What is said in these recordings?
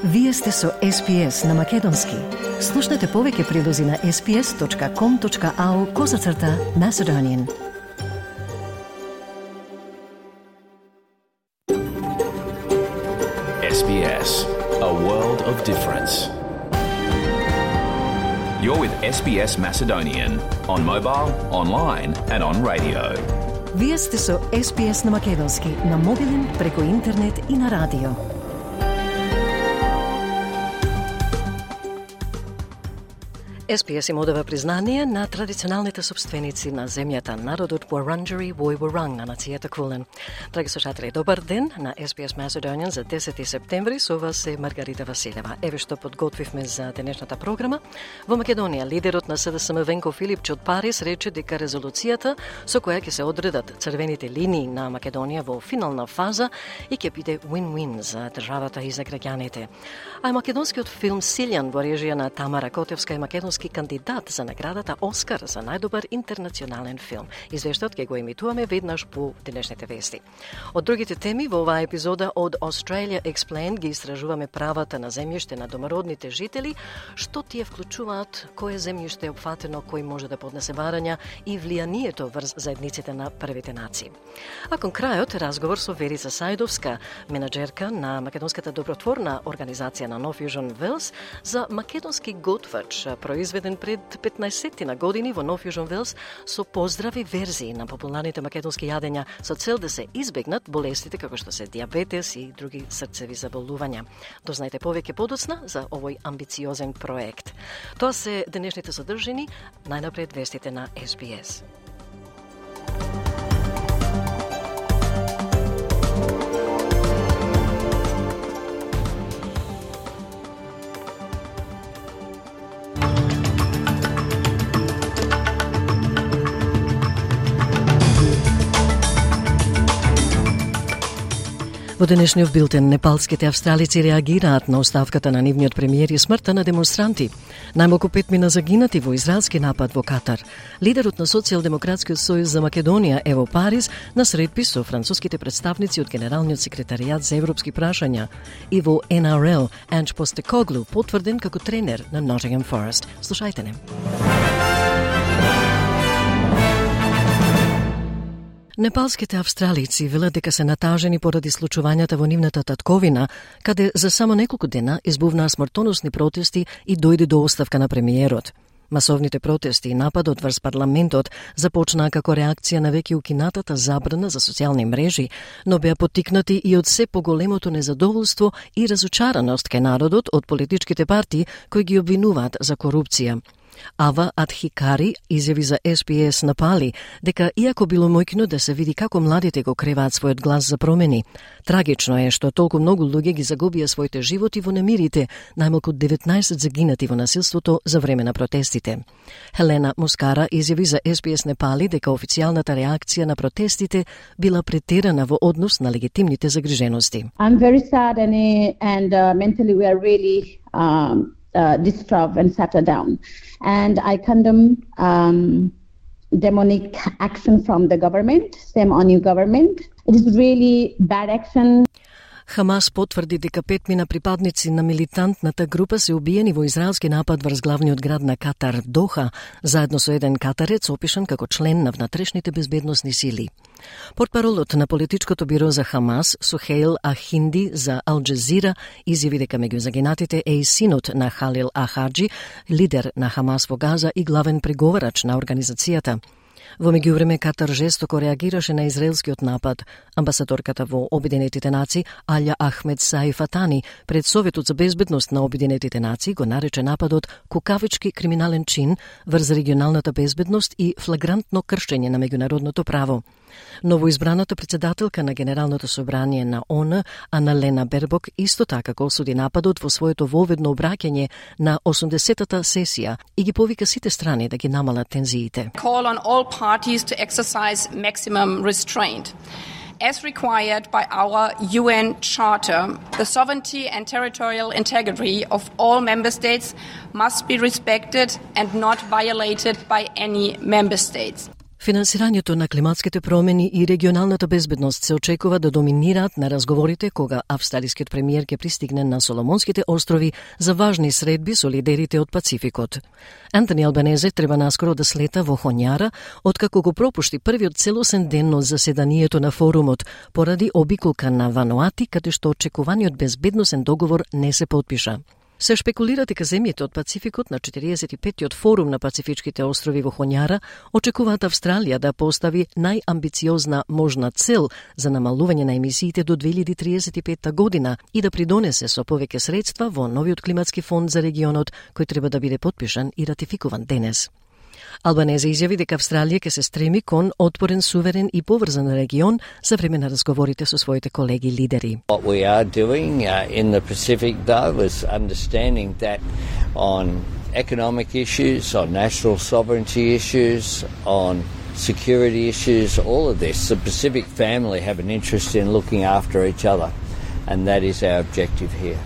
Вие сте со SPS на Македонски. Слушнете повеќе прилози на sps.com.au/Macedonian. SBS, a world of difference. You're with SBS Macedonian on mobile, online and on radio. Вие сте со SPS на Македонски на мобилен, преку интернет и на радио. SPS им одава признание на традиционалните собственици на земјата, народот Wurundjeri Woi-wurrung на нацијата Кулен. Драги слушатели, добар ден на SPS Macedonian за 10 септември. Со вас е Маргарита Василева. Еве што подготвивме за денешната програма. Во Македонија, лидерот на СДСМ Венко Филипч од Париз рече дека резолуцијата со која ќе се одредат црвените линии на Македонија во финална фаза и ќе биде win-win за државата и за граѓаните. А македонскиот филм Силјан во режија на Тамара Котевска е македонски кандидат за наградата Оскар за најдобар интернационален филм. Извештајот ќе го емитуваме веднаш по денешните вести. Од другите теми во оваа епизода од Australia Explained ги истражуваме правата на земјиште на домородните жители, што тие вклучуваат кое земјиште е опфатено, кој може да поднесе барања и влијанието врз заедниците на првите нации. А кон крајот разговор со Верица Сајдовска, менаџерка на македонската добротворна организација на No Fusion Wales, за македонски готвач произведен пред 15 на години во No Fusion Wales со поздрави верзии на популарните македонски јадења со цел да се избегнат болестите како што се диабетес и други срцеви заболувања. Дознајте повеќе подоцна за овој амбициозен проект. Тоа се денешните содржини, најнапред вестите на SBS. Во денешниот билтен, непалските австралици реагираат на оставката на нивниот премиер и смртта на демонстранти. Најмалку 5 мина загинати во израелски напад во Катар. Лидерот на Социјалдемократскиот сојуз за Македонија е во Париз на средби со француските представници од Генералниот секретаријат за европски прашања и во NRL Анж Постекоглу потврден како тренер на Nottingham Forest. Слушајте не. Непалските австралици велат дека се натажени поради случувањата во нивната татковина, каде за само неколку дена избувнаа смртоносни протести и дојде до оставка на премиерот. Масовните протести и нападот врз парламентот започнаа како реакција на веќе укинатата забрана за социјални мрежи, но беа поттикнати и од се поголемото незадоволство и разочараност кај народот од политичките партии кои ги обвинуваат за корупција. Ава Адхикари изјави за SPS на Пали дека иако било мојкно да се види како младите го креваат својот глас за промени, трагично е што толку многу луѓе ги загубија своите животи во немирите, најмалку 19 загинати во насилството за време на протестите. Хелена Мускара изјави за SPS Непали дека официјалната реакција на протестите била претерана во однос на легитимните загрижености. I'm very sad and mentally we are really distraught and shattered down. And I condemn demonic action from the government, same on your government. It is really bad action. Хамас потврди дека 5 мина припадници на милитантната група се убиени во израелски напад врз главниот град на Катар, Доха, заедно со еден катарец опишан како член на внатрешните безбедносни сили. Портпаролот на политичкото биро за Хамас, Сухейл Ахинди за Ал Джазира, изјави дека меѓу загинатите е и синот на Халил Ахаджи, лидер на Хамас во Газа и главен преговарач на организацијата. Во меѓувреме Катар жестоко реагираше на израелскиот напад. Амбасадорката во Обединетите нации Алја Ахмед Саифатани пред Советот за безбедност на Обединетите нации го нарече нападот кукавички криминален чин врз регионалната безбедност и флагрантно кршење на меѓународното право. Новоизбраната председателка на Генералното собрание на ООН, Аналена Бербок, исто така го осуди нападот во своето воведно обраќање на 80-та сесија и ги повика сите страни да ги намалат тензиите. Call on all parties to exercise maximum restraint. As required by our UN Charter, the sovereignty and territorial integrity of all member states must be respected and not violated by any member states. Финансирањето на климатските промени и регионалната безбедност се очекува да доминираат на разговорите кога австралискиот премиер ќе пристигне на Соломонските острови за важни средби со лидерите од Пацификот. Антони Албанезе треба наскоро да слета во Хоњара, откако го пропушти првиот целосен ден од заседанието на форумот поради обиколка на Вануати, каде што очекуваниот безбедносен договор не се потпиша. Се шпекулира дека земјите од Пацификот на 45-тиот форум на Пацифичките острови во Хоњара очекуваат Австралија да постави најамбициозна можна цел за намалување на емисиите до 2035 година и да придонесе со повеќе средства во новиот климатски фонд за регионот кој треба да биде потпишан и ратификуван денес. Албанезе изјави дека Австралија ќе се стреми кон отпорен, суверен и поврзан регион за време на разговорите со своите колеги лидери. What we are doing in the Pacific though is understanding that on economic issues, on national sovereignty issues, on security issues, all of this, the Pacific family have an interest in looking after each other, and that is our objective here.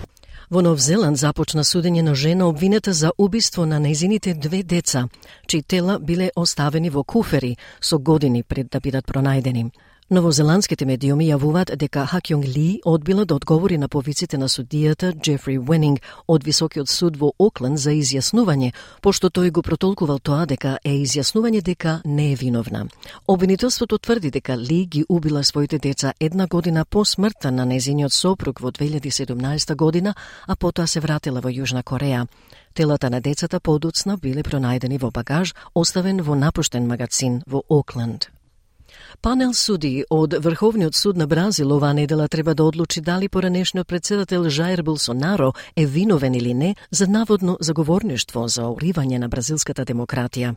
Во Нов Зеланд започна судење на жена обвинета за убиство на нејзините 2 деца, чии тела биле оставени во куфери со години пред да бидат пронајдени. Новозеландските медиуми јавуваат дека Хакјонг Ли одбила да одговори на повиците на судијата Джефри Уенинг од Високиот суд во Окленд за изјаснување, пошто тој го протолкувал тоа дека е изјаснување дека не е виновна. Обвинителството тврди дека Ли ги убила своите деца 1 година по смртта на нејзиниот сопруг во 2017 година, а потоа се вратила во Јужна Кореја. Телата на децата подоцна биле пронајдени во багаж, оставен во напуштен магазин во Окленд. Панел суди од Врховниот суд на Бразил оваа недела треба да одлучи дали поранешниот председател Жаир Болсонаро е виновен или не за наводно заговорништво за уривање на бразилската демократија.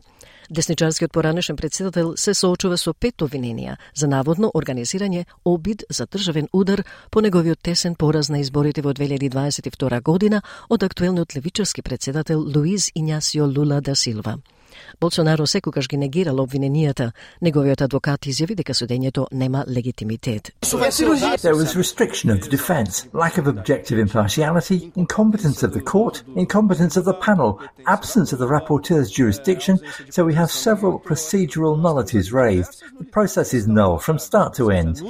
Десничарскиот поранешен председател се соочува со 5 обвиненија за наводно организирање обид за државен удар по неговиот тесен пораз на изборите во 2022 година од актуелниот левичарски председател Луиз Ињасио Лула да Силва. Болсонаро секогаш ги негирал обвиненијата. Неговиот адвокат изјави дека судењето нема легитимитет. There was restriction of the defence, lack of objective impartiality, incompetence of the court, incompetence of the panel, absence of the rapporteur's jurisdiction, so we have several procedural nullities raised. The process is null from start to end.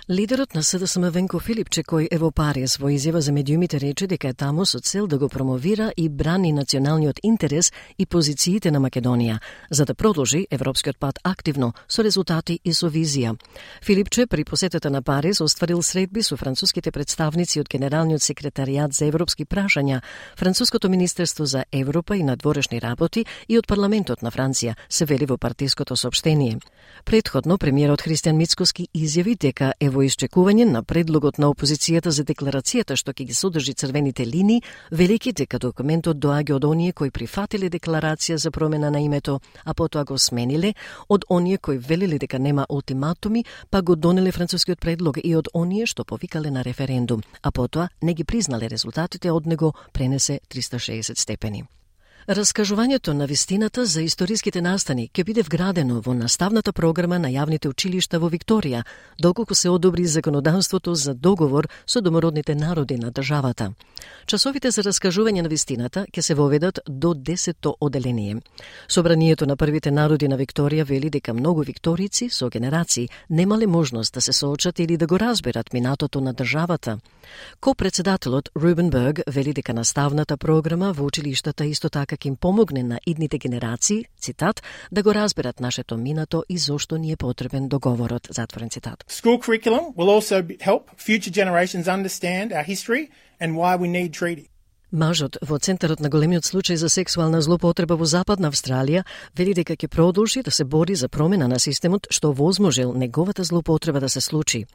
Лидерот на СДСМ Венко Филипче, кој е во Париз, во изјава за медиумите рече дека е таму со цел да го промовира и брани националниот интерес и позициите на Македонија, за да продолжи европскиот пат активно, со резултати и со визија. Филипче при посетата на Париз остварил средби со француските представници од Генералниот секретаријат за европски прашања, Француското министерство за Европа и надворешни работи и од парламентот на Франција, се вели во партиското соопштение. Претходно, премиерот Христијан Мицкоски изјави дека е во исчекување на предлогот на опозицијата за декларацијата што ќе ги содржи црвените линии, велики дека документот доаѓа од оние кои прифатиле декларација за промена на името, а потоа го смениле, од оние кои велеле дека нема ултиматуми, па го донеле францускиот предлог и од оние што повикале на референдум, а потоа не ги признале резултатите од него, пренесе 360 степени. Раскажувањето на вистината за историските настани ќе биде вградено во наставната програма на јавните училишта во Викторија, доколку се одобри законодавството за договор со домородните народи на државата. Часовите за раскажување на вистината ќе се воведат до 10-то оделение. Собранието на првите народи на Викторија вели дека многу викторици со генерации немале можност да се соочат или да го разберат минатото на државата. Ко-председателот Рубен Берг вели дека наставната програма во училиштата исто така ќе им помогне на идните генерации, цитат, да го разберат нашето минато и зошто ни е потребен договорот, затворен цитат. School curriculum will also help future generations understand our history and why we need treaty. Мажот во центарот на големиот случај за сексуална злоупотреба во Западна Австралија вели дека ќе продолжи да се бори за промена на системот што возможил неговата злоупотреба да се случи.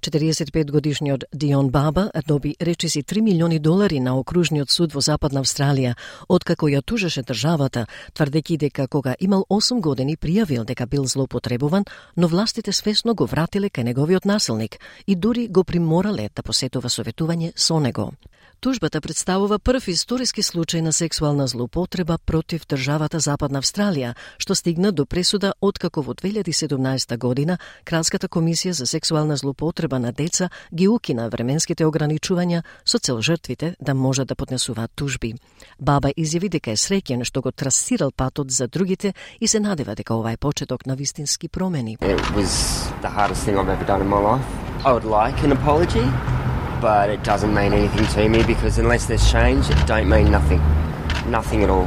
45-годишниот Дион Баба доби речиси $3 милиони на окружниот суд во Западна Австралија, откако ја тужеше државата, тврдејќи дека кога имал 8 години пријавил дека бил злоупотребуван, но властите свесно го вратиле кај неговиот насилник и дури го приморале да посетува советување со него. Тужбата представува прв историски случај на сексуална злоупотреба против државата Западна Австралија, што стигна до пресуда откако во 2017 година Кралската комисија за сексуална злоупотреба на деца ги укина временските ограничувања со цел жртвите да можат да поднесуваат тужби. Баба изјави дека е среќен што го трасирал патот за другите и се надева дека ова е почеток на вистински промени. It was the hardest thing I've ever done in my life. I would like an apology, but it doesn't mean anything to me because unless there's change, it don't mean nothing. Nothing at all.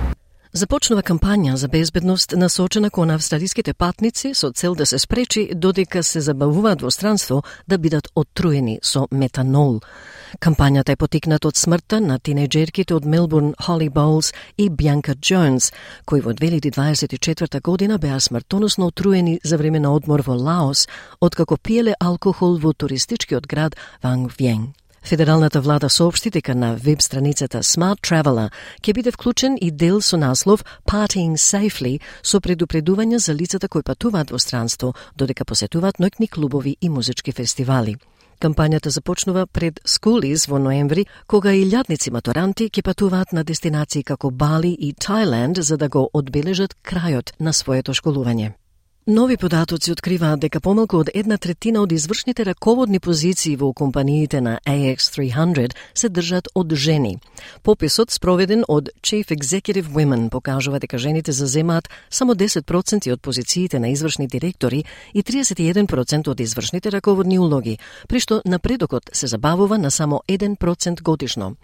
Започнува кампања за безбедност насочена кон австралиските патници со цел да се спречи додека се забавуваат во странство да бидат оттруени со метанол. Кампањата е потикната од смртта на тинејџерките од Мелбурн Холли Боулс и Бјанка Джонс, кои во 2024 година беа смртоносно отруени за време на одмор во Лаос, откако пиеле алкохол во туристичкиот град Ванг Виен. Федералната влада соопшти дека на веб страницата Smart Traveller ќе биде вклучен и дел со наслов Partying Safely со предупредување за лицата кои патуваат во странство, додека посетуваат ноќни клубови и музички фестивали. Кампањата започнува пред Schoolies во ноември, кога илјадници матуранти ќе патуваат на дестинации како Бали и Тајланд за да го одбележат крајот на своето школување. Нови податоци откриваат дека помалку од 1/3 од извршните раководни позиции во компаниите на AX300 се држат од жени. Пописот спроведен од Chief Executive Women покажува дека жените заземаат само 10% од позициите на извршни директори и 31% од извршните раководни улоги, при што напредокот се забавува на само 1% годишно.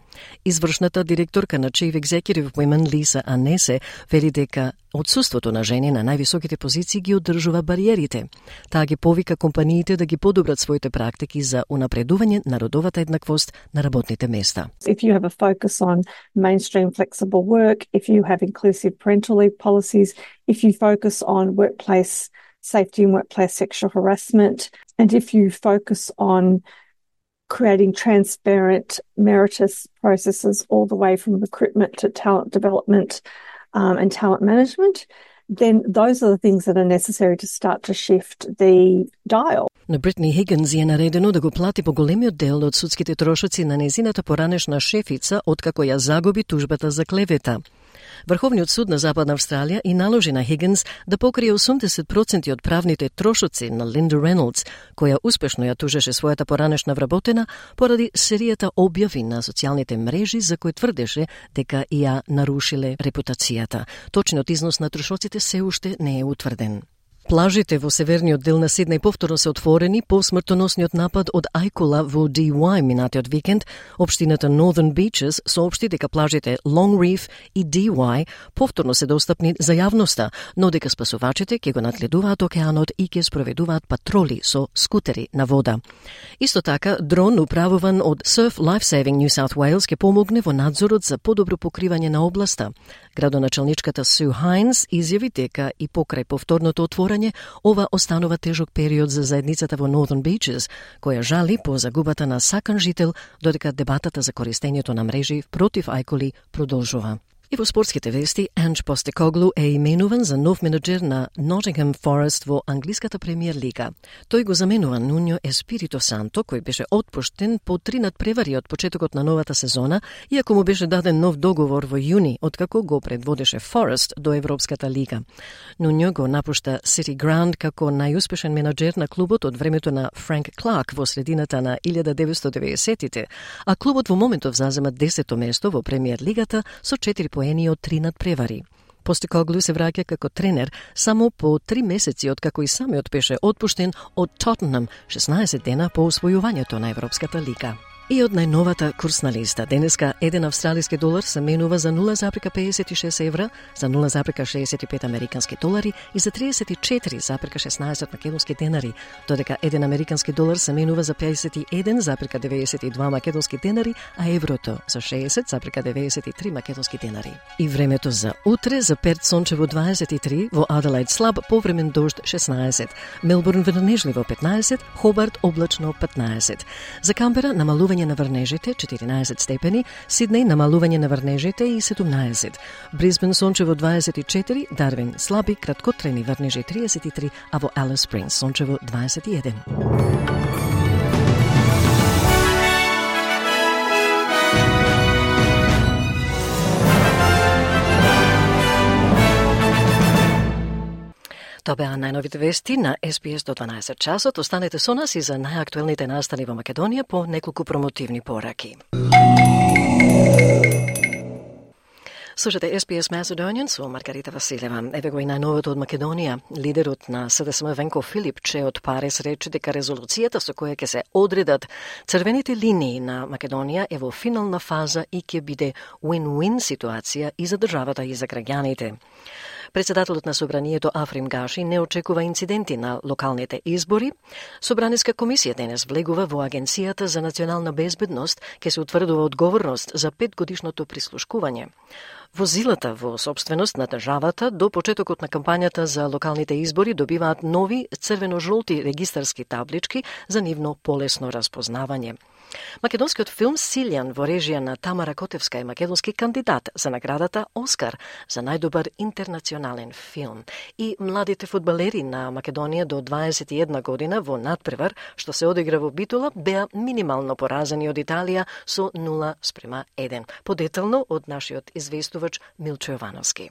Извршната директорка на Chief Executive Women Лиса Анесе вели дека отсуството на жени на највисоките позиции ги одржува бариерите. Таа ги повика компаниите да ги подобрат своите практики за унапредување на родовата еднаквост на работните места. If you have a focus on mainstream flexible work, if you have inclusive parental leave policies, if you focus on workplace safety and workplace sexual harassment, and if you focus on creating transparent meritus processes all the way from recruitment to talent development and talent management, then those are the things that are necessary to start to shift the dial. На Бритни Хигинс е наредено да го плати поголемиот дел од судските трошоци на незината поранешна шефица откако ја загуби тужбата за клевета. Врховниот суд на Западна Австралија и наложи на Хигинс да покрие 80% од правните трошоци на Линда Рейнолдс, која успешно ја тужеше својата поранешна вработена поради серијата објави на социјалните мрежи за кои тврдеше дека ја нарушиле репутацијата. Точниот износ на трошоците се уште не е утврден. Плажите во северниот дел на Сиднеј повторно се отворени по смртоносниот напад од ајкула во DY минатиот викенд. Општината Northern Beaches соопшти дека плажите Long Reef и DY повторно се достапни за јавноста, но дека спасувачите ќе го надледуваат океанот и ќе спроведуваат патроли со скутери на вода. Исто така, дрон управуван од Surf Lifesaving New South Wales ќе помогне во надзорот за подобро покривање на областа. Градоначалничката Су Хайнс изјави дека и покрај повторното отворање ова останува тежок период за заедницата во Northern Beaches, која жали по загубата на сакан жител, додека дебатата за користењето на мрежи против ајкули продолжува. И во спортските вести, Анж Постекоглу е именуван за нов менеджер на Nottingham Forest во англиската премиер лига. Тој го заменува Нуньо Еспирито Санто, кој беше отпуштен по 3 надпревари од почетокот на новата сезона, иако му беше даден нов договор во јуни, откако го предводеше Forest до Европската лига. Нуньо го напушта City Ground како најуспешен менеджер на клубот од времето на Франк Кларк во средината на 1990-тите, а клубот во моментов зазема 10-то место во премиер лигата со 4 поени од 3 надпревари. Постекоглу се враќа како тренер само по 3 месеци откако и самиот беше отпуштен од Тотенхам 16 дена по освојувањето на Европската лига. И од најновата курсна листа, денеска 1 австралиски долар се менува за 0,56 евра, за 0,65 американски долари и за 34,16 македонски денари, додека 1 американски долар се менува за 51,92 македонски денари, а еврото за 60,93 македонски денари. И времето за утре, за Перт сончево 23, во Аделаид слаб повремен дожд 16, Мелбурн врнежливо 15, Хобарт облачно 15. За Камбера намалување на врнежите 14 степени, Сиднеј намалување на врнежите и 17. Брисбен сончево 24, Дарвин слаби краткотрени врнежи 33, а во Алис Спрингс сончево 21. Тоа беа најновите вести на SBS до 12 часот. Останете со нас и за најактуелните настани во Македонија по неколку промотивни пораки. Слушате SBS Macedonian со Маргарита Василева. Еве го и најновото од Македонија. Лидерот на СДСМ Венко Филипче од Париз рече дека резолуцијата со која ќе се одредат црвените линии на Македонија е во финална фаза и ќе биде win-win ситуација и за државата и за граѓаните. Председателот на Собранието Африм Гаши не очекува инциденти на локалните избори. Собраниска комисија денес влегува во Агенцијата за национална безбедност, ке се утврдува одговорност за 5-годишното прислушкување. Возилата во собственост на државата до почетокот на кампањата за локалните избори добиваат нови црвено-жолти регистарски таблички за нивно полесно распознавање. Македонскиот филм Силјан во режија на Тамара Котевска е македонски кандидат за наградата Оскар за најдобар интернационален филм. И младите фудбалери на Македонија до 21 година во надпревар, што се одигра во Битола, беа минимално поразени од Италија со 0:1. Подетално од нашиот известувач Милчо Јовановски.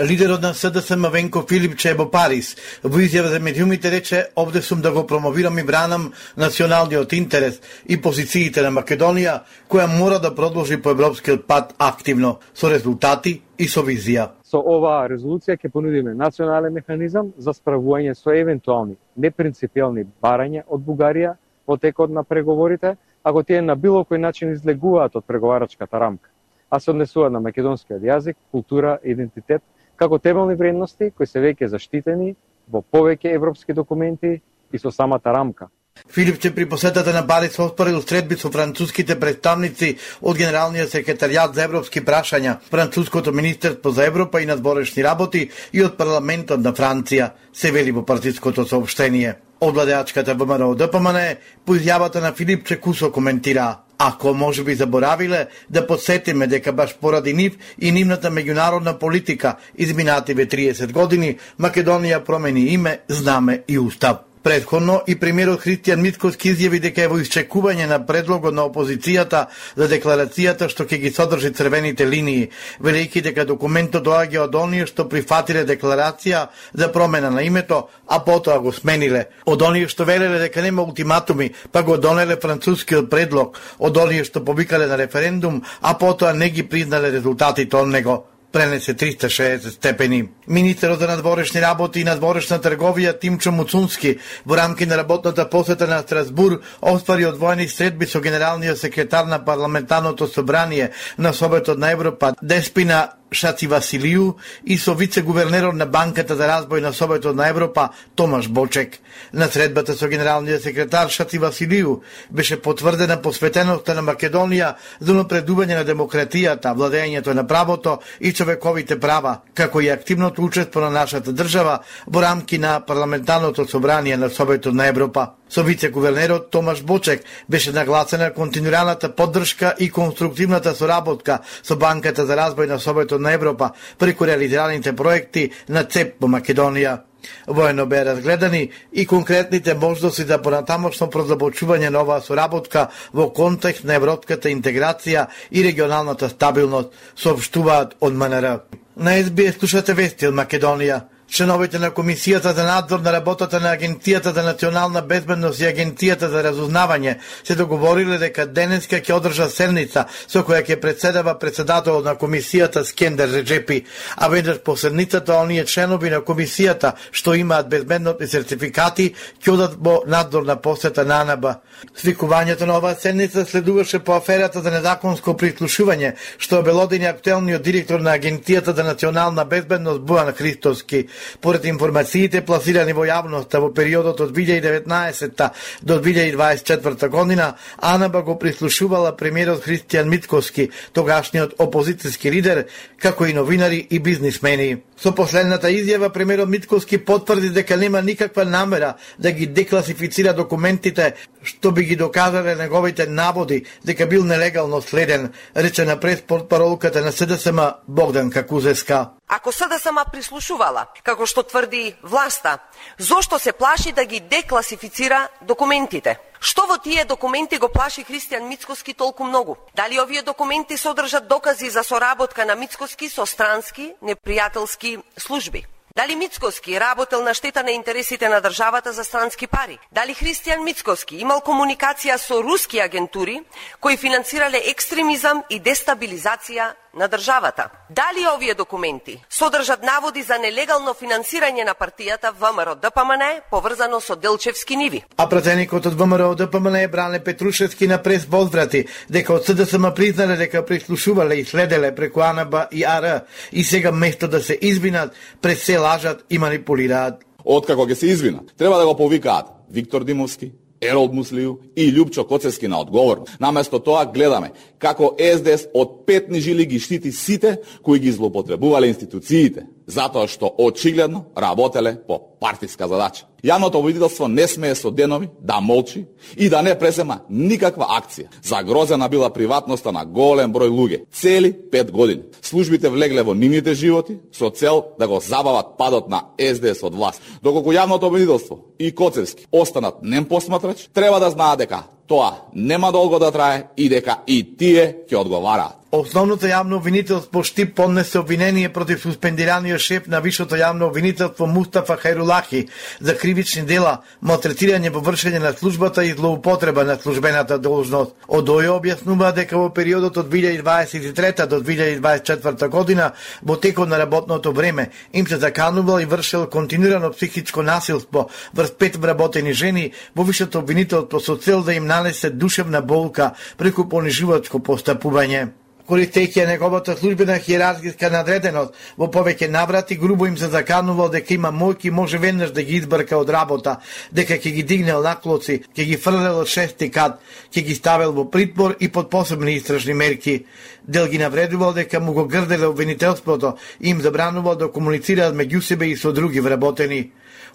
Лидерот на СДСМ Венко Филипче во Париз во изјава за медиумите рече: "Овде сум да го промовирам и бранам националниот интерес и позициите на Македонија, која мора да продолжи по европскиот пат активно, со резултати и со визија." Со оваа резолуција ќе понудиме национален механизам за справување со евентуални непринципиелни барања од Бугарија во текот на преговорите, ако тие на било кој начин излегуваат од преговарачката рамка, а се однесуваат на македонскиот јазик, култура, идентитет, како темелни вредности кои се веќе заштитени во повеќе европски документи и со самата рамка. Филипче при посетата на Париз оспорил средби со француските представници од Генералниот секретаријат за европски прашања, француското министерство за Европа и надворешни работи и од парламентот на Франција, се вели во партиското соопштение. Од владеачката ВМРО ДПМН по изјавата на Филипче кусо коментира: "Ако може би заборавиле да подсетиме дека баш поради нив и нивната меѓународна политика изминативе 30 години Македонија промени име, знаме и устав." Предходно и премиерот Христијан Мицкоски изјави дека е во исчекување на предлогот на опозицијата за декларацијата што ќе ги содржи црвените линии, велејќи дека документот доаѓа од оние што прифатиле декларација за промена на името, а потоа го смениле, од оние што велеле дека нема ултиматуми, па го донеле францускиот предлог, од оние што повикале на референдум, а потоа не ги признале резултатите од него. Пренесе 360 степени. Министерот за надворешни работи и надворешна трговија Тимчо Муцунски во рамки на работната посета на Страсбур оствари одвоени средби со генералниот секретар на парламентарното собрание на Советот на Европа Деспина Шати Василију и со вице-гувернерот на Банката за развој на Советот на Европа Томаш Бочек. На средбата со генералниот секретар Шати Василију беше потврдена посветеноста на Македонија за напредување на демократијата, владењето на правото и човековите права, како и активното учество на нашата држава во рамки на парламентарното собрание на Советот на Европа. Со вице-гувернерот Томаш Бочек беше нагласена континуираната поддршка и конструктивната соработка со Банката за развој на Советот на Европа преку реализираните проекти на ЦЕП во Македонија. Воено беа разгледани и конкретните можности за понатамошно продолбочување на оваа соработка во контекст на европската интеграција и регионалната стабилност, соопштуваат од МНР. На SBS слушате вести од Македонија. Членовите на Комисијата за надзор на работата на Агенцијата за национална безбедност и Агенцијата за разузнавање се договориле дека денеска ќе одржа седница со која ќе председава председателот на Комисијата Скендер Реджепи, а веднаш по седницата оние членови на Комисијата што имаат безбедносни сертификати ќе одат во надзорна посета на АНБ. Свикувањето на оваа седница следуваше по аферата за незаконско прислушување што обелодени актуелниот директор на Агенцијата за национална безбедност Бојан Христовски. Поред информациите пласирани во јавноста во периодот од 2019 до 2024 година, АНБ го прислушувала премиерот Христијан Мицкоски, тогашниот опозицијски лидер, како и новинари и бизнисмени. Со последната изјава премиерот Мицкоски потврди дека нема никаква намера да ги декласифицира документите што би ги доказале неговите наводи дека бил нелегално следен, рече на преспортпаролката на СДСМ Богдан Какузеска. Ако СДСМ прислушувала, како што тврди власта, зошто се плаши да ги декласифицира документите? Што во тие документи го плаши Христијан Мицкоски толку многу? Дали овие документи содржат докази за соработка на Мицкоски со странски непријателски служби? Дали Мицкоски работел на штета на интересите на државата за странски пари? Дали Христијан Мицкоски имал комуникација со руски агентури кои финансирале екстремизам и дестабилизација на државата? Дали овие документи содржат наводи за нелегално финансирање на партијата ВМРО-ДПМН поврзано со Делчевски ниви? А пратеникот од ВМРО-ДПМН Бране Петрушевски на прес возврати дека од СДСМ признале дека прислушувале и следеле преку АНБ и АР и сега место да се извинат, пред се лажат и манипулираат. Откако ќе се извинат, треба да го повикаат Виктор Димовски, Еролд Муслију и Љупчо Коцевски на одговор. Наместо тоа гледаме како СДС од петни жили ги штити сите кои ги злоупотребувале институциите, затоа што очигледно работеле по партиска задача. Јавното обвинителство не смее со денови да молчи и да не презема никаква акција. Загрозена била приватноста на голем број луѓе. Цели 5 години. Службите влегле во нивните животи со цел да го забават падот на СДС од власт. Доколку јавното обвинителство и Коцевски останат нем посматрач, треба да знаат дека тоа нема долго да трае и дека и тие ќе одговараат. Основното јавно обвинителство Штип поднесе обвинение против суспендираниот шеф на Висшето јавно обвинителство Мустафа Хајрулахи за кривични дела, малтретирање во вршење на службата и злоупотреба на службената должност. Од ОЈО објаснува дека во периодот од 2023 до 2024 година во текот на работното време им се заканувал и вршел континуирано психичко насилство врз 5 вработени жени во Висшето обвинителство со цел да им нанесе душевна болка преку понижувачко постапување. Користејќи неговата службена хиерархиска надреденост, во повеќе наврати грубо им се заканувал дека има мојки може веднаш да ги избрка од работа, дека ќе ги дигнел наклоци, ќе ги фрлел од 6-ти кат, ќе ги ставел во притвор и под посебни истражни мерки. Дел ги навредувал дека му го грделе обвинителството и им забранувал да комуницираат меѓу себе и со други вработени.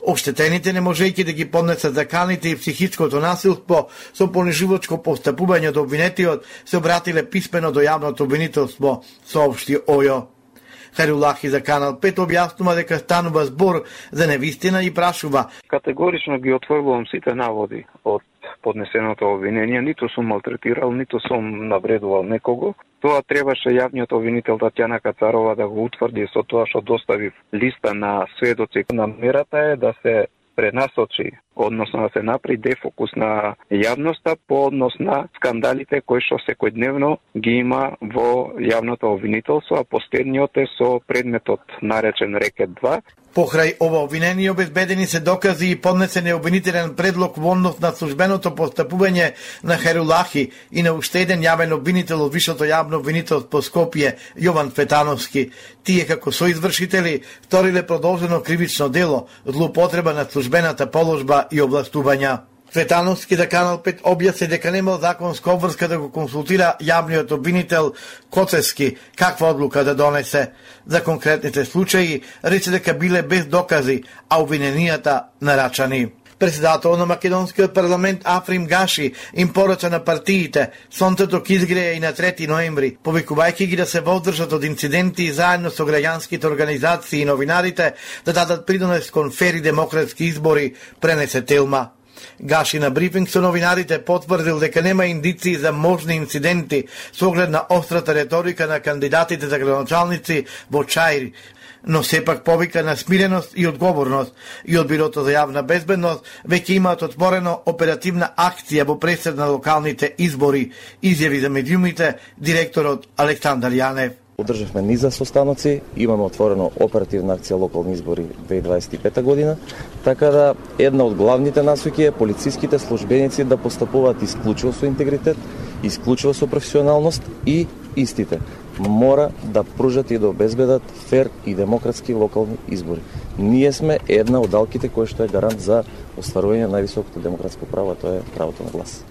Оштетените, не можејќи да ги поднесат заканите и психичкото насилство со понижувачко постапување од обвинетиот, се обратиле писмено до јавното обвинителство, соопшти ОЈО. Хајрулахи за Канал 5 објаснува дека станува збор за невистина и прашува: категорично ги отфрлувам сите наводи од поднесеното обвинение, ниту сум малтретирал, ниту сум навредувал некого. Тоа требаше јавниот обвинител Татјана Кацарова да го утврди со тоа што достави листа на сведоци. Намерата е да се пренасочи, односно да се направи дефокус на јавноста по однос на скандалите кои што секојдневно ги има во јавното обвинителство, а последниот е со предметот наречен Рекет 2. Покрај ова обвинение обезбедени се докази и поднесен е обвинителен предлог во однос на службеното постапување на Хајрулахи и на уште еден јавен обвинител од Висшето јавно обвинителство Скопје, Јован Фетановски. Тие како соизвршители сториле продолжено кривично дело, злоупотреба на службената положба и овластувања. Фетановски за Канал 5 објасни дека немал законска обврска да го консултира јавниот обвинител Коцевски каква одлука да донесе. За конкретните случаи рече дека биле без докази, а обвиненијата нарачани. Председател на македонскиот парламент Африм Гаши им порача на партиите сонцето ќе изгрее и на 3 ноември, повикувајќи ги да се воздржат од инциденти и заедно со граѓанските организации и новинарите да дадат придонес кон фер и демократски избори, пренесе Телма. Гаши на брифинг со новинарите потврдил дека нема индиции за можни инциденти со оглед на острата реторика на кандидатите за градоначалници во Чаир, но сепак повика на смиреност и одговорност и од Бирото за јавна безбедност веќе имаат отворено оперативна акција во пресед на локалните избори, изјави за медиумите директорот Александар Јанев. Одржавме низа состаноци, имаме отворено оперативна акција локални избори 2025 година, така да една од главните насоки е полициските службеници да постапуваат исклучиво со интегритет, исклучиво со професионалност и истите мора да пружат и да обезбедат фер и демократски локални избори. Ние сме една од алките која што е гарант за остварување на највисокото демократско право, а тоа е правото на глас.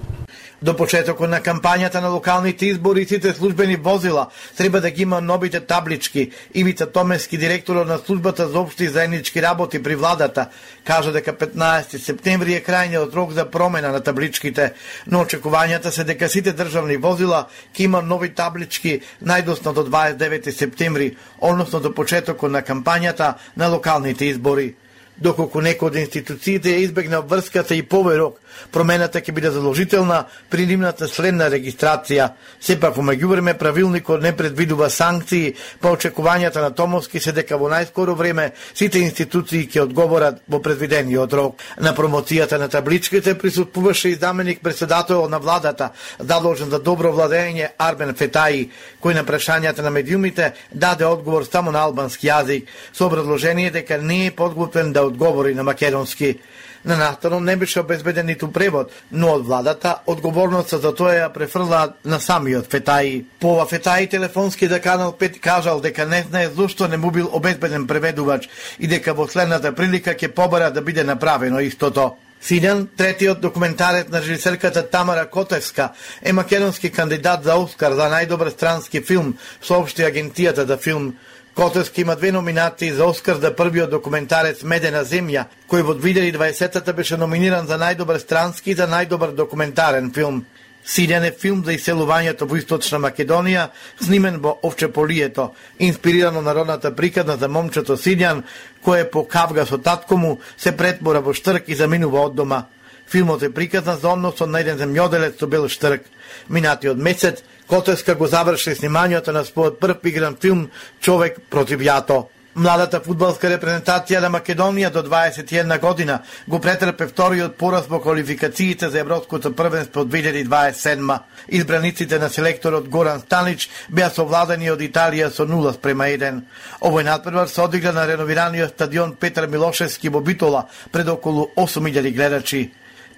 До почетокот на кампањата на локалните избори сите службени возила треба да ги има новите таблички. Ивица Томески, директорот на службата за општи заеднички работи при владата, кажа дека 15 септември е крајниот рок за промена на табличките, но очекувањата се дека сите државни возила ќе има нови таблички најдосно до 29 септември, односно до почетокот на кампањата на локалните избори. Доколку некој од институциите ја избегна врската и повеј рок, промената ќе биде задолжителна при нивната следна регистрација. Сепак, во меѓувреме, правилникот не предвидува санкции, па очекувањата на Томовски се дека во најскоро време сите институции ќе одговорат во предвидениот рок. На промоцијата на табличките присуствуваше и заменик председател на владата, задолжен за добро владење Арбен Фетаи, кој на прашањата на медиумите даде одговор само на албански јазик, со образложение дека не е подготвен да одговори на македонски. На настанот не беше обезбеден ниту превод, но од владата одговорноста за тоа ја префрла на самиот Фетаи. По ова Фетаи телефонски за Канал 5 кажал дека не знае зошто не му бил обезбеден преведувач и дека во следната прилика ќе побара да биде направено истото. Силјан, третиот документарец на режисерката Тамара Котевска, е македонски кандидат за Оскар за најдобар странски филм, соопшти агенцијата за филм. Котевски има 2 номинации за Оскар за првиот документарец Медена земја, кој во 2020-та беше номиниран за најдобар странски и за најдобар документарен филм. Силјан е филм за иселувањето во Источна Македонија, снимен во Овчеполието, инспирирано народната приказна за момчето Силјан, кој по кавга со татко му се претмора во Штрк и заминува од дома. Филмот е приказна за односот на еден земјоделец со бел Штрк. Минатиот месец Котевска го заврши снимањето на својот прв игран филм Човек против јато. Младата фудбалска репрезентација на Македонија до 21 година го претрпе вториот пораз во квалификациите за Европското првенство 2027. Избраниците на селекторот Горан Станич беа совладани од Италија со 0:1. Овој надпревар се одигра на реновираниот стадион Петар Милошевски во Битола пред околу 8000 гледачи.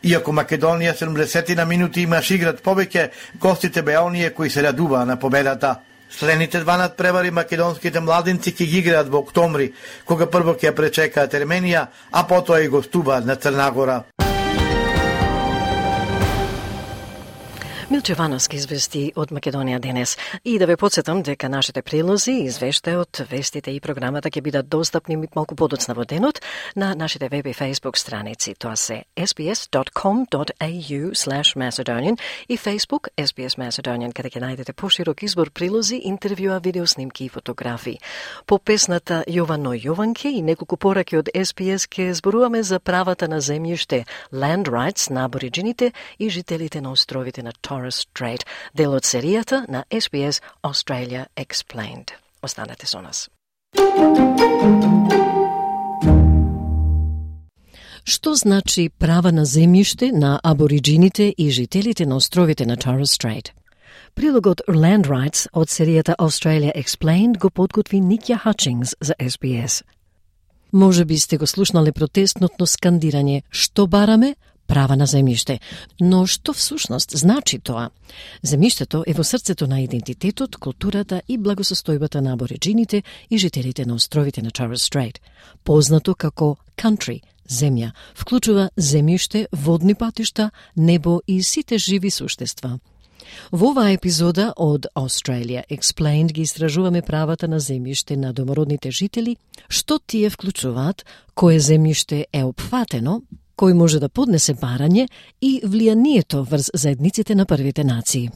Иако Македонија 70 минути имаш играт повеќе, гостите беа оние кои се радуваа на победата. Следните 2 надпревари македонските младинци ќе ги играат во октомври, кога прво ќе ја пречекаат Ерменија, а потоа и гостуваат на Црна Гора. Милче Вановски извести од Македонија денес. И да ве подсетам дека нашите прилози, извештајот, вестите и програмата ќе бидат достапни малку подоцна во денот на нашите веб и Facebook страници. Тоа се sbs.com.au/Macedonian и Facebook SBS Macedonian, каде ќе најдете поширок избор прилози, интервјуа, видеоснимки и фотографии. По песната Јовано Јованке и неколку пораки од SBS ќе зборуваме за правата на земјиште, land rights на абориджините и жителите на островите на Torres Strait, дел од серијата на SBS Australia Explained. Останете со нас. Што значи права на земјиште на абориджините и жителите на островите на Torres Strait? Прилогот Land Rights од серијата Australia Explained го подготви Никја Хачингс за SBS. Може би сте го слушнале протестното скандирање «Што бараме? Права на земјиште». Но што всушност значи тоа? Земјиштето е во срцето на идентитетот, културата и благосостојбата на абориджините и жителите на островите на Torres Strait. Познато како country, земја, вклучува земјиште, водни патишта, небо и сите живи суштества. Во оваа епизода од Australia Explained ги истражуваме правата на земјиште на домородните жители, што тие вклучуваат, кое земјиште е опфатено, кој може да поднесе барање и влијанието врз заедниците на првите нации.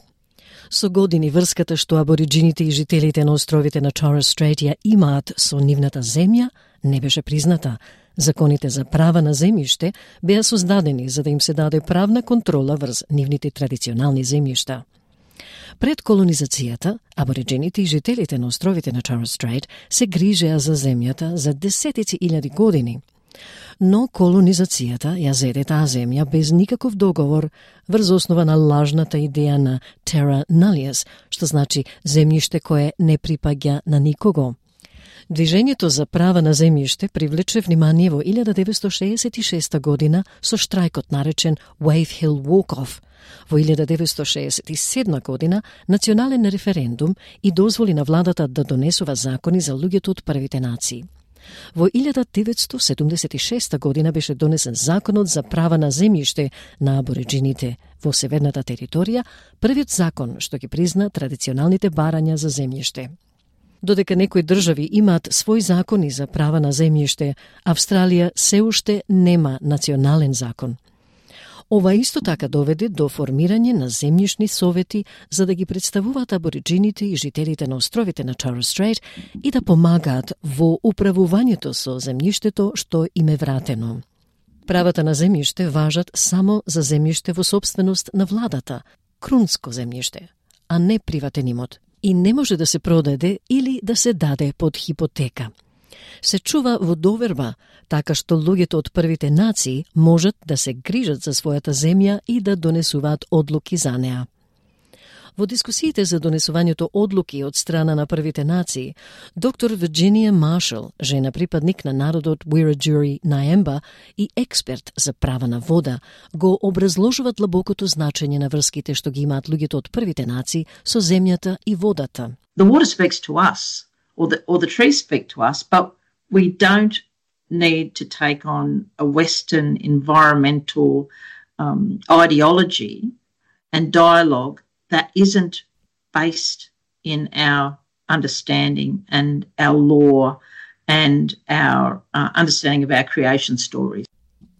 Со години врската што абориджините и жителите на островите на Torres Strait ја имаат со нивната земја не беше призната. Законите за права на земјиште беа создадени за да им се даде правна контрола врз нивните традиционални земјишта. Пред колонизацијата, абориджините и жителите на островите на Torres Strait се грижеа за земјата за десетици илјади години. Но колонизацијата ја зеде таа земја без никаков договор врз основа на лажната идеја на terra nullius, што значи земјиште кое не припаѓа на никого. Движењето за права на земјиште привлече внимание во 1966 година со штрајкот наречен Wave Hill Walk-Off. Во 1967 година национален референдум и дозволи на владата да донесува закони за луѓето од првите нации. Во 1976 година беше донесен законот за права на земјиште на абориджините во северната територија, првиот закон што ги призна традиционалните барања за земјиште. Додека некои држави имаат своји закони за права на земјиште, Австралија се уште нема национален закон. Ова исто така доведе до формирање на земјишни совети за да ги представуваат абориджините и жителите на островите на Торres Strait и да помагаат во управувањето со земјиштето што им е вратено. Правата на земјиште важат само за земјиште во сопственост на владата, крунско земјиште, а не приватен имот, и не може да се продаде или да се даде под хипотека. Се чува во доверба, така што луѓето од првите нации можат да се грижат за својата земја и да донесуваат одлуки за неа. Во дискусиите за донесувањето одлуки од страна на првите нации, доктор Вирджинија Маршал, жена припадник на народот Wiradjuri Naemba и експерт за права на вода, го образложуваат длабокото значење на врските што ги имаат луѓето од првите нации со земјата и водата. The water speaks to us, or the trees speak to us, but we don't need to take on a Western environmental ideology and dialogue that isn't based in our understanding and our law and our understanding of our creation stories.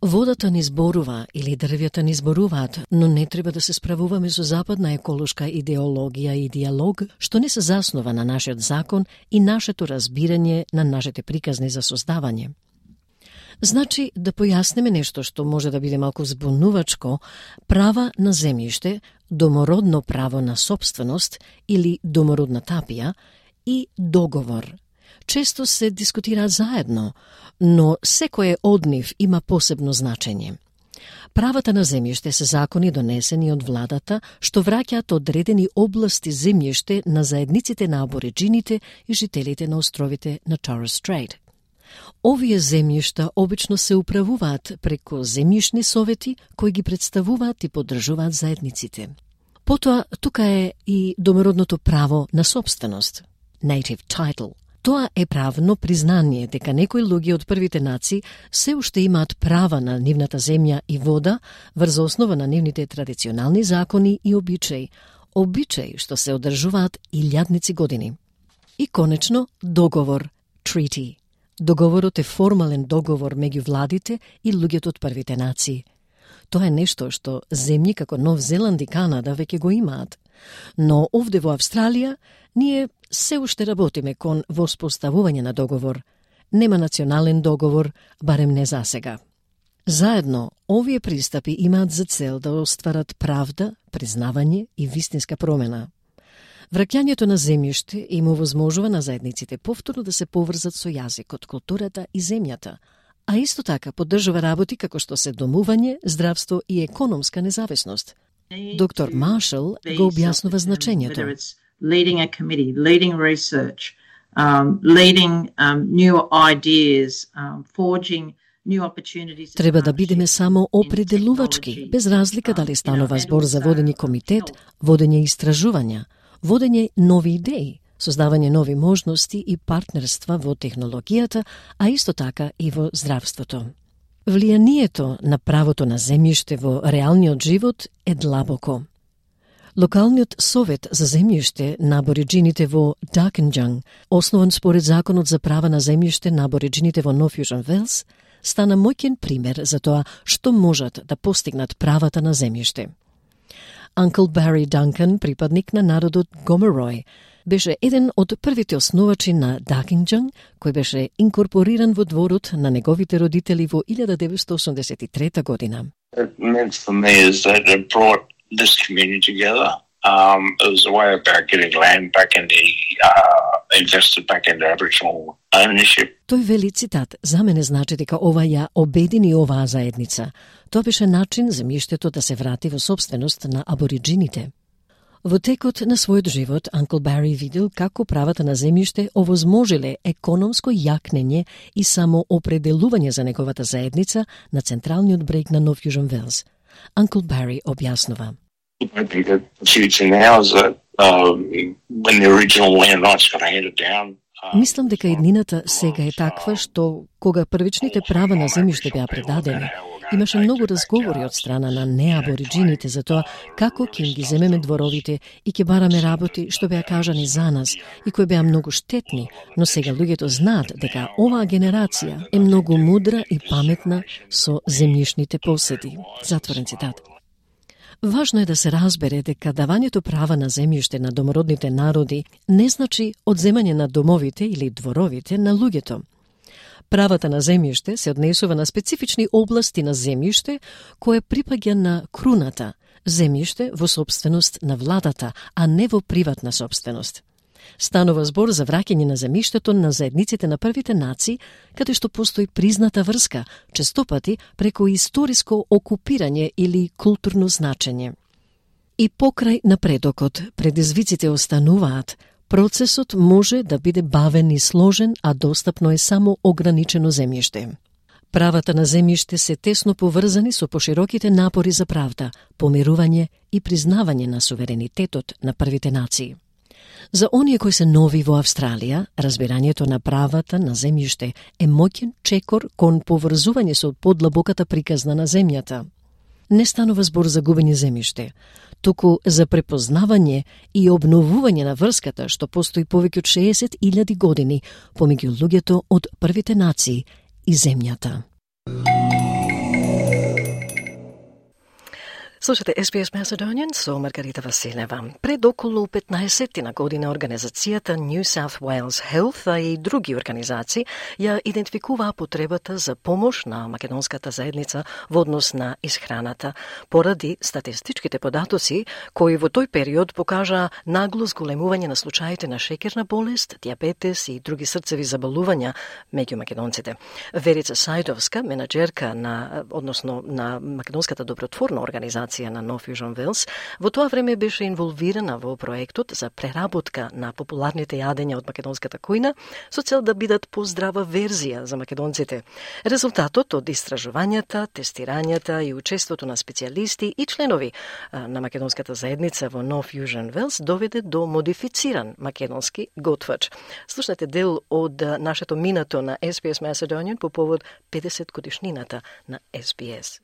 Водата ни зборува или дрвјата ни зборуваат, но не треба да се справуваме со западна еколошка идеологија и диалог, што не се заснова на нашиот закон и нашето разбирање на нашите приказни за создавање. Значи, да појасниме нешто што може да биде малку збунувачко, права на земјиште, домородно право на сопственост или домородна тапија и договор. Често се дискутираат заедно, но секој од нив има посебно значење. Правата на земјиште се закони донесени од владата што враќаат одредени области земјиште на заедниците на абориджините и жителите на островите на Торres Strait. Овие земјишта обично се управуваат преку земјишни совети кои ги представуваат и поддржуваат заедниците. Потоа, тука е и домородното право на сопственост, native title. Тоа е правно признание дека некои луѓе од првите нации се уште имаат права на нивната земја и вода врз основа на нивните традиционални закони и обичаи што се одржуваат илјадници години. И конечно, договор, treaty. Договорот е формален договор меѓу владите и луѓето од првите нации. Тоа е нешто што земји како Нов Зеланд и Канада веќе го имаат. Но овде во Австралија ние се уште работиме кон воспоставување на договор. Нема национален договор, барем не засега. Заедно, овие пристапи имаат за цел да остварат правда, признавање и вистинска промена. Враќањето на земјиште им овозможува на заедниците повторно да се поврзат со јазикот, културата и земјата, а исто така поддржува работи како што се домување, здравство и економска независност. Доктор Маршал го објаснува значењето. Leading a committee, leading research, leading new ideas, forging new opportunities. Треба да бидеме само определувачки, без разлика дали станува збор за водење комитет, водење истражувања, водење нови идеи, создавање нови можности и партнерства во технологијата, а исто така и во здравството. Влијанието на правото на земјиште во реалниот живот е длабоко. Локалниот совет за земјиште на абориджините во Darkinjung, основан според законот за права на земјиште на абориджините во Нов Јужен Велс, стана моќен пример за тоа што можат да постигнат правата на земјиште. Uncle Barry Duncan, припадник на народот Gomeroi, беше еден од првите основачи на Darkinjung, кој беше инкорпориран во дворот на неговите родители во 1983 година. It meant for me is that it brought this community together. It was a way about getting land back in the invested back into Aboriginal ownership. Тој вели цитат: "За мене значи дека ова ја обедини оваа заедница. Тоа беше начин земјиштето да се врати во сопственост на абориджините." Во текот на својот живот, Uncle Barry видел како правата на земјиште овозможиле економско јакнење и само определување за неговата заедница на централниот брег на Нов Јужен Велс. Uncle Barry објаснува. I think that the future now is that when the original land rights got handed down. Мислам дека еднината сега е таква што кога првичните права на земјиште беа предадени имаше многу разговори од страна на неабориджините за тоа како ќе им ги земеме дворовите и ќе бараме работи што беа кажани за нас и кои беа многу штетни, но сега луѓето знаат дека оваа генерација е многу мудра и паметна со земјишните поседи. Затворен цитат. Важно е да се разбере дека давањето права на земјиште на домородните народи не значи одземање на домовите или дворовите на луѓето. Правата на земјиште се однесува на специфични области на земјиште кое припаѓа на круната, земјиште во собственост на владата, а не во приватна собственост. Станува збор за враќање на земјиштето на заедниците на првите нации, каде што постои призната врска, честопати преку историско окупирање или културно значење. И покрај напредокот, предизвиците остануваат. Процесот може да биде бавен и сложен, а достапно е само ограничено земјиште. Правата на земјиште се тесно поврзани со пошироките напори за правда, помирување и признавање на суверенитетот на првите нации. За оние кои се нови во Австралија, разбирањето на правата на земјиште е моќен чекор кон поврзување со подлабоката приказна на земјата. Не станува збор за губење земјиште, туку за препознавање и обновување на врската што постои повеќе од 60.000 години помеѓу луѓето од првите нации и земјата. Слушате SBS Macedonian со Маргарита Василева. Пред околу 15 година организацијата New South Wales Health, а и други организации ја идентификуваа потребата за помош на македонската заедница во однос на исхраната, поради статистичките податоци кои во тој период покажаа нагло зголемување на случаите на шеќерна болест, дијабетес и други срцеви заболувања меѓу македонците. Верица Сајдовска, менаџерка на македонската добротворна организација на No Fusion Wales, во тоа време беше инволвирана во проектот за преработка на популарните јадења од македонската кујна со цел да бидат поздрава верзија за македонците. Резултатот од истражувањата, тестирањата и учеството на специјалисти и членови на македонската заедница во No Fusion Wales доведе до модифициран македонски готвач. Слушнете дел од нашето минато на SBS Macedonian по повод 50 годишнината на SBS.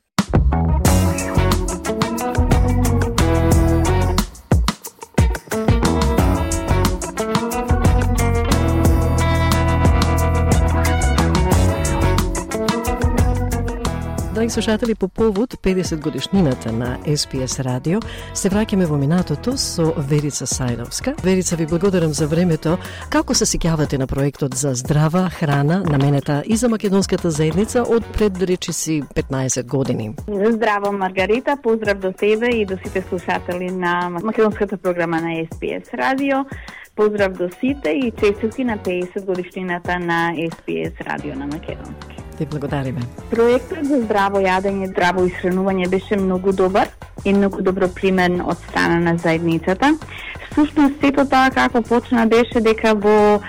Драги слушатели, по повод 50 годишнината на SBS радио, се враќаме во минатото со Верица Сајдовска. Верица, ви благодарам за времето. Како се сеќавате на проектот за здрава храна наменета и за македонската заедница од пред речиси 15 години? Здраво, Маргарита, поздрав до тебе и до сите слушатели на македонската програма на SBS радио. Поздрав до сите и честитки на 50 годишнината на SBS радио на македонски. Ти благодариме. Проектот за здраво јадење, здраво исхранување беше многу добар и многу добро примен од страна на заедницата. Всушност, сето тоа како почна беше дека во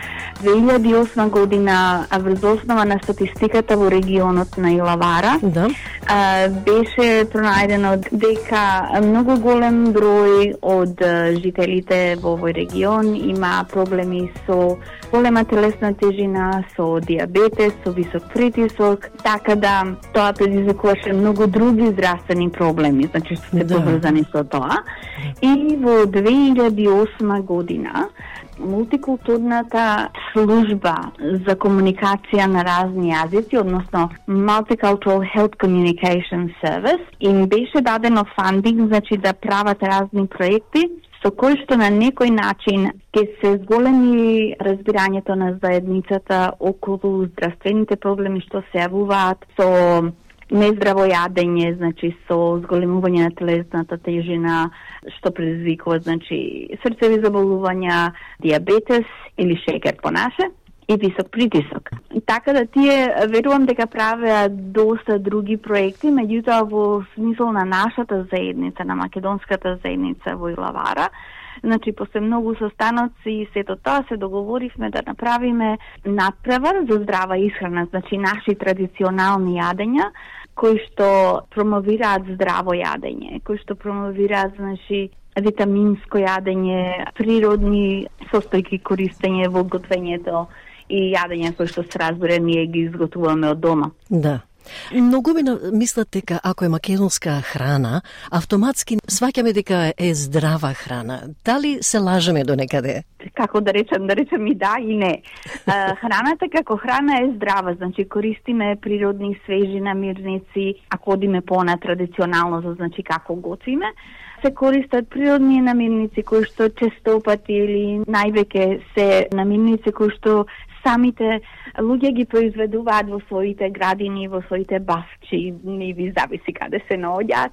2008 година врз основа на статистиката во регионот на Илавара беше пронајдено дека многу голем број од жителите во овој регион има проблеми со голема телесна тежина, со дијабетес, со висок притисок, така да тоа предизвикуваше многу други здравствени проблеми, значи што се поврзани со тоа. И во 2008 година мултикултурната служба за комуникација на разни јазици, односно Multicultural Health Communication Service, им беше дадено фандинг, значи да прават разни проекти со кои што на некој начин ќе се зголеми разбирањето на заедницата околу здравствените проблеми што се јавуваат со нездраво јадење, значи со зголемување на телесната тежина, што предизвикува, значи срцеви заболувања, дијабетес или шеќер по наше и висок притисок. Така да тие верувам дека правеа доста други проекти, меѓутоа во смисол на нашата заедница, на македонската заедница во Илавара, значи после многу состаноци и сето тоа се договоривме да направиме надпревар за здрава исхрана, значи наши традиционални јадења кои што промовираат здраво јадење, кои што промовираат, значи, витаминско јадење, природни состојки користење во готвењето и јадења кои што се разбира ние ги изготвуваме од дома. Да. Многумина мислат дека ако е македонска храна, автоматски сваќаме дека е здрава храна. Дали се лажеме до некаде? Како да речем и да и не. Храната како храна е здрава, значи користиме природни свежи намирници, ако одиме по-традиционално, значи како готвиме, се користат природни намирници кои што често пати или највеќе се намирници кои што самите луѓе ги произведуваат во своите градини, во своите бавчи, ниви, зависи каде се наоѓаат.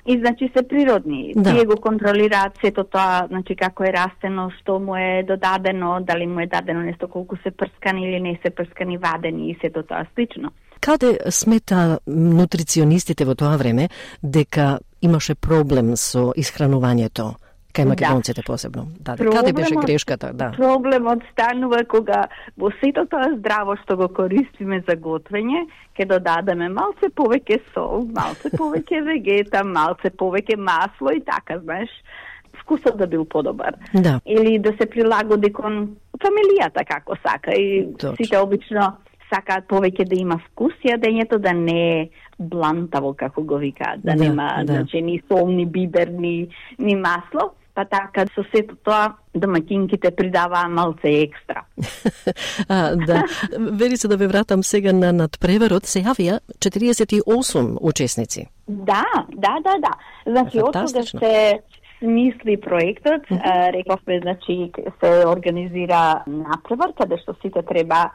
И значи се природни. Да. Тие го контролираат сето тоа, значи како е растено, што му е додадено, дали му е дадено нешто колку се прскани или не се прскани, вадени и сето тоа слично. Каде смета нутриционистите во тоа време дека имаше проблем со исхранувањето? Кај македонците посебно. Да, каде беше грешката? Да. Проблемот станува кога во сето тоа здраво што го користиме за готвење, ќе додадеме малце повеќе сол, малце повеќе вегета, малце повеќе масло и така, знаеш, вкусот да бил подобар. Да. Или да се прилагоди кон фамилијата како сака и сите обично сакаат повеќе да има вкус, јадењето да не е блантаво, како го викаат, да нема значи ни сол, ни бибер, ни масло. Па така, со сето тоа, домаќинките придаваа малце екстра. Да, вери се да ве вратам сега на надпреварот, се јавија 48 учесници. Да. Значи, од кога се смисли проектот, рековме, значи, се организира надпревар, каде што сите треба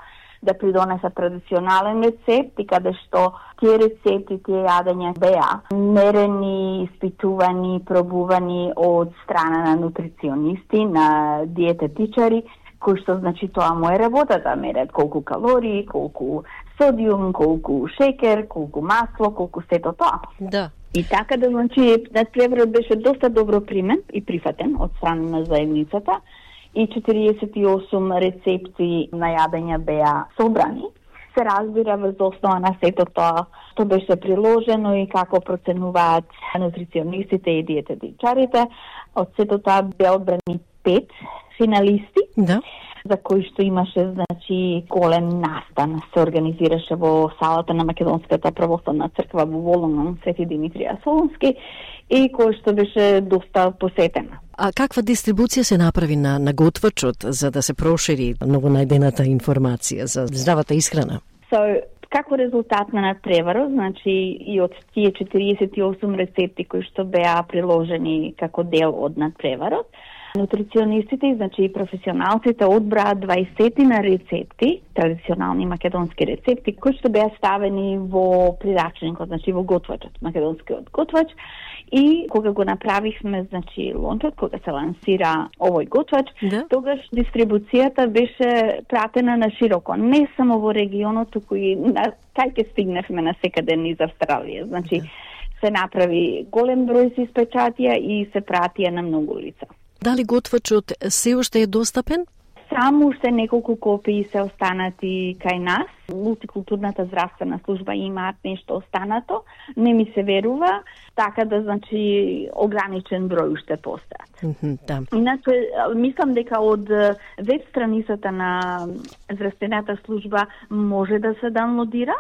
да придонесат традиционален рецепт и каде што тие рецепти, тие јадења беа мерени, испитувани, пробувани од страна на нутриционисти, на диететичари, кои што значи тоа му е работата, мерат колку калории, колку содиум, колку шекер, колку масло, колку сето тоа. Да. И така да значи надпреварот беше доста добро примен и прифатен од страна на заедницата. И 48 рецепти на јадења беа собрани. Се разбира врз основа на сето тоа што беше приложено и како проценуваат нутриционистите и диететичарите. Од сето тоа беа одбрани 5 финалисти, за кои што имаше значи голем настан. Се организираше во салата на Македонската православна црква во Волонгон, Свети Димитрија Солунски, и кој што беше доста посетена. А каква дистрибуција се направи на готвачот за да се прошири новонајдената информација за здравата исхрана? Како резултат на надпреварот, значи и од тие 48 рецепти кои што беа приложени како дел од надпреварот, нутриционистите, значи и професионалците одбраат 20 на рецепти, традиционални македонски рецепти, кои што беа ставени во прирачникот, значи во готвачот, македонскиот готвач. И кога го направивме, значи, лончот, кога се лансира овој готвач, тогаш дистрибуцијата беше пратена на широко, не само во регионот, туку и кај ќе стигневме на секаде низ Австралија. Значи, се направи голем број се испечатија и се пратија на многу лица. Дали готвачот се уште е достапен? Само уште неколку копии се останати кај нас. Мултикултурната здравствена служба имаат нешто останато. Не ми се верува, така да значи ограничен број уште постојат. Да. Иначе, мислам дека од веб страницата на здравствената служба може да се даунлодира.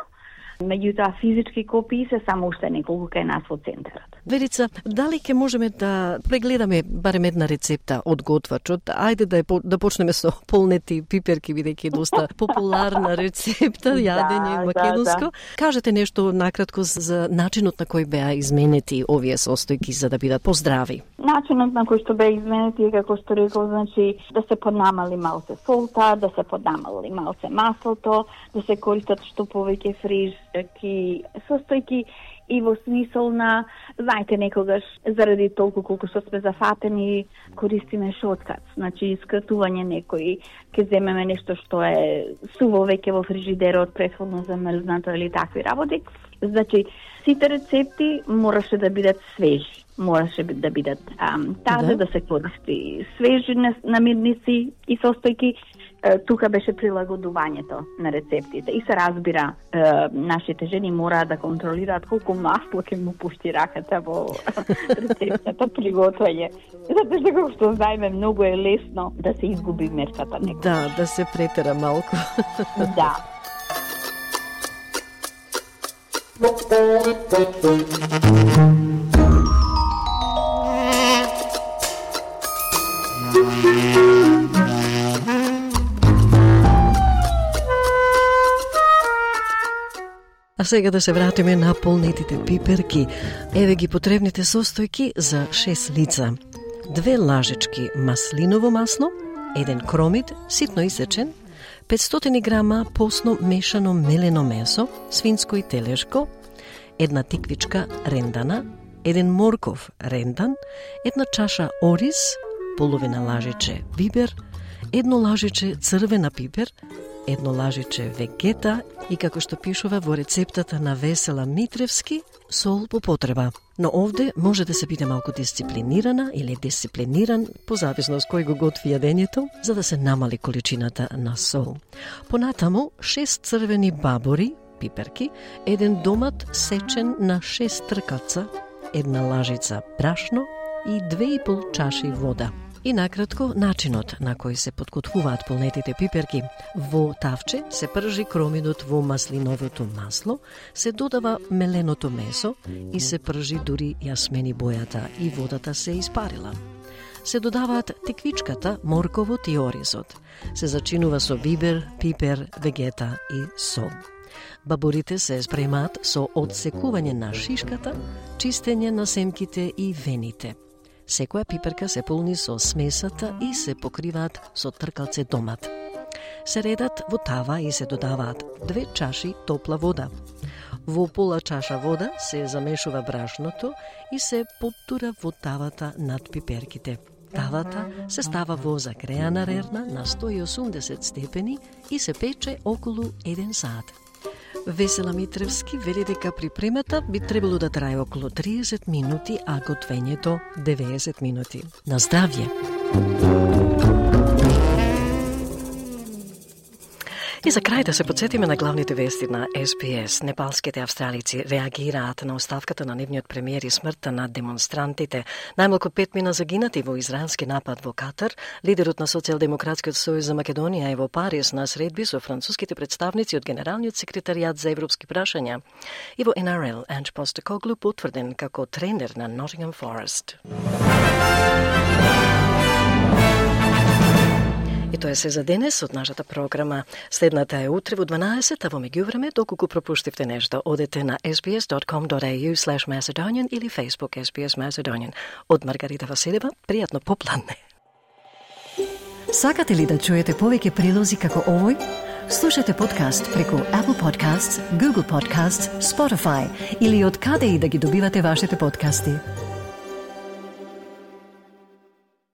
Меѓутоа физички копии се само уште неколку кај нас во центарот. Верица, дали ќе можеме да прегледаме барем една рецепта од готвачот? Ајде да почнеме со полнети пиперки, бидејќи е доста популарна рецепта, јадење македонско. Кажете нешто накратко за начинот на кој беа изменети овие состојки за да бидат поздрави. Начинот на кој што беа изменети е како што рекол, значи да се поднамали малце солта, да се поднамали малце маслото, да се користат што повеќе фриш состојки и во смисол на, знаете, некогаш заради толку колку што сме зафатени, користиме шоткат, значи скратување некои, ќе земеме нешто што е суво веќе во фрижидерот, претходно замрзнато или такви работи. Значи, сите рецепти мораше да бидат свежи, мораше да бидат тазе, да се користи свежи намирници и состојки. Тука беше прилагодувањето на рецептите и се разбира, нашите жени мораат да контролираат колку масло ќе му пушти раката во рецептата приготвање. Затоа што како што знаеме, многу е лесно да се изгуби мерката некој. Да се претера малку. Да. А сега да се вратиме на полнетите пиперки. Еве ги потребните состојки за 6 лица. 2 лажички маслиново масло, 1 кромит, ситно исечен, 500 грама посно мешано мелено месо, свинско и телешко, 1 тиквичка рендана, 1 морков рендан, 1 чаша ориз, половина лажиче бибер, 1 лажиче црвена пипер, 1 лажиче вегета и, како што пишува во рецептата на Весела Митревски, сол по потреба. Но овде може да се биде малку дисциплинирана или дисциплиниран, по зависност кој го готви јадењето, за да се намали количината на сол. Понатаму, 6 црвени бабори, пиперки, 1 домат сечен на 6 тркаца, 1 лажица брашно и 2,5 чаши вода. И накратко, начинот на кој се подготвуваат полнетите пиперки. Во тавче се пржи кромидот во маслиновото масло, се додава меленото месо и се пржи дури ја смени бојата и водата се испарила. Се додаваат тиквичката, морковот и оризот. Се зачинува со бибер, пипер, вегета и сол. Баборите се спремаат со одсекување на шишката, чистење на семките и вените. Секоја пиперка се полни со смесата и се покриваат со тркалце домат. Се редат во тава и се додаваат 2 чаши топла вода. Во пола чаша вода се замешува брашното и се поттура во тавата над пиперките. Тавата се става во загреана рерна на 180 степени и се пече околу 1 сат. Весела Митревски вели дека припремата би требало да трае околу 30 минути, а готвењето 90 минути. На здравје! И за крај да се подсетиме на главните вести на СПС. Непалските австралици реагираат на оставката на нивниот премиер и смртта на демонстрантите. Најмалку 5 мина загинати во израелски напад во Катар. Лидерот на Социјалдемократскиот сојуз за Македонија е во Париз на средби со француските представници од Генералниот секретаријат за европски прашања. И во НРЛ Анge Postecoglou потврден како тренер на Nottingham Forest. И тоа е се за денес од нашата програма. Следната е утре во 12, а во меѓувреме, доколку пропуштивте нешто, одете на sbs.com.au/Macedonian или Facebook SBS Macedonian. Од Маргарита Василева, пријатно попладне. Сакате ли да чуете повеќе прилози како овој? Слушате подкаст преку Apple Podcasts, Google Podcasts, Spotify или од каде и да ги добивате вашите подкасти.